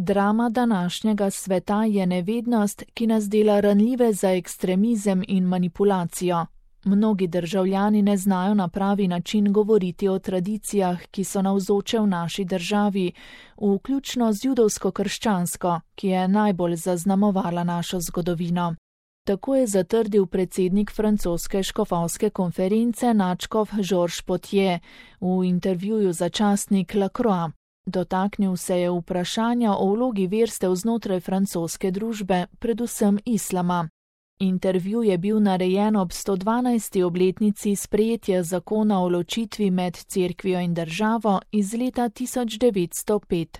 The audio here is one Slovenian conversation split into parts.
Drama današnjega sveta je nevednost, ki nas dela ranljive za ekstremizem in manipulacijo. Mnogi državljani ne znajo na pravi način govoriti o tradicijah, ki so navzoče v naši državi, vključno z judovsko-krščansko, ki je najbolj zaznamovala našo zgodovino. Tako je zatrdil predsednik francoske škofovske konference nadškof Georges Potier v intervjuju za časnik La Croix. Dotaknil se je vprašanja o vlogi verstev znotraj francoske družbe, predvsem islama. Intervju je bil narejen ob 112. obletnici sprejetja zakona o ločitvi med cerkvijo in državo iz leta 1905.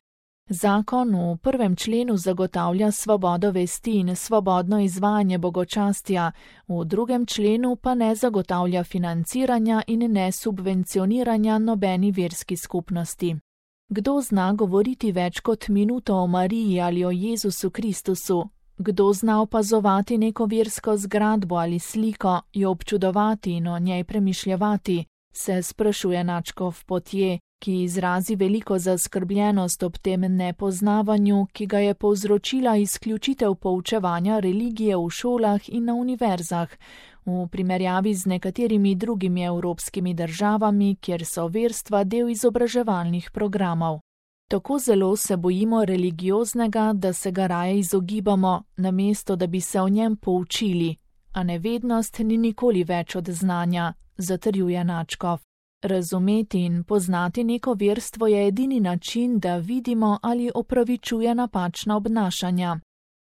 Zakon v 1. členu zagotavlja svobodo vesti in svobodno izvajanje bogočastja, v 2. členu pa ne zagotavlja financiranja in ne subvencioniranja nobeni verski skupnosti. Kdo zna govoriti več kot minuto o Mariji ali o Jezusu Kristusu? Kdo zna opazovati neko versko zgradbo ali sliko, jo občudovati in o njej premišljevati, se sprašuje nadškof Potier, ki izrazi veliko zaskrbljenost ob tem nepoznavanju, ki ga je povzročila izključitev poučevanja religije v šolah in na univerzah, v primerjavi z nekaterimi drugimi evropskimi državami, kjer so verstva del izobraževalnih programov. Tako zelo se bojimo religioznega, da se ga raje izogibamo, namesto da bi se o njem poučili, a nevednost ni nikoli več od znanja, zatrjuje nadškof. Razumeti in poznati neko verstvo je edini način, da vidimo ali opravičuje napačna obnašanja.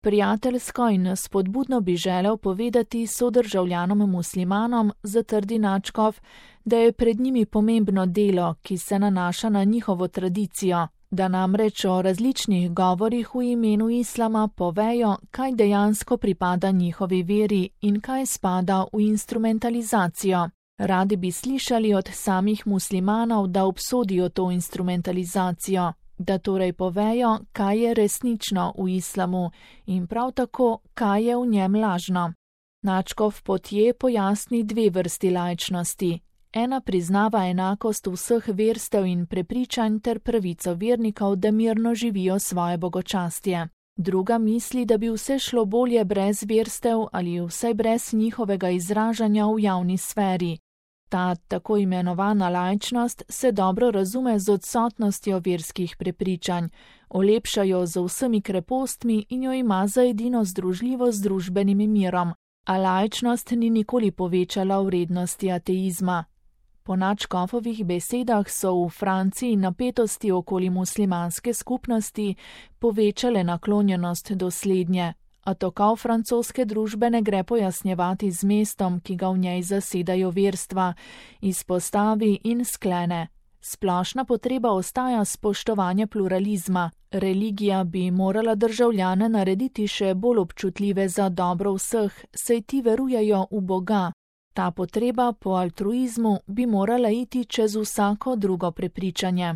Prijateljsko in spodbudno bi želel povedati sodržavljanom muslimanom, zatrdi nadškof, da je pred njimi pomembno delo, ki se nanaša na njihovo tradicijo, da namreč o različnih govorih v imenu islama povejo, kaj dejansko pripada njihovi veri in kaj spada v instrumentalizacijo. Radi bi slišali od samih muslimanov, da obsodijo to instrumentalizacijo, da torej povejo, kaj je resnično v islamu in prav tako, kaj je v njem lažno. Nadškof Potier pojasni dve vrsti laičnosti. Ena priznava enakost vseh verstev in prepričanj ter pravico vernikov, da mirno živijo svoje bogočastje. Druga misli, da bi vse šlo bolje brez verstev ali vsaj brez njihovega izražanja v javni sferi. Ta tako imenovana laičnost se dobro razume z odsotnostjo verskih prepričanj, olepša jo z vsemi krepostmi in jo ima za edino združljivo z družbenim mirom, a laičnost ni nikoli povečala vrednosti ateizma. Po nadškofovih besedah so v Franciji napetosti okoli muslimanske skupnosti povečale naklonjenost do slednje, a tokov francoske družbe ne gre pojasnjevati z mestom, ki ga v njej zasedajo verstva, izpostavi in sklene. Splošna potreba ostaja spoštovanje pluralizma. Religija bi morala državljane narediti še bolj občutljive za dobro vseh, saj ti verujejo v Boga. Ta potreba po altruizmu bi morala iti čez vsako drugo prepričanje.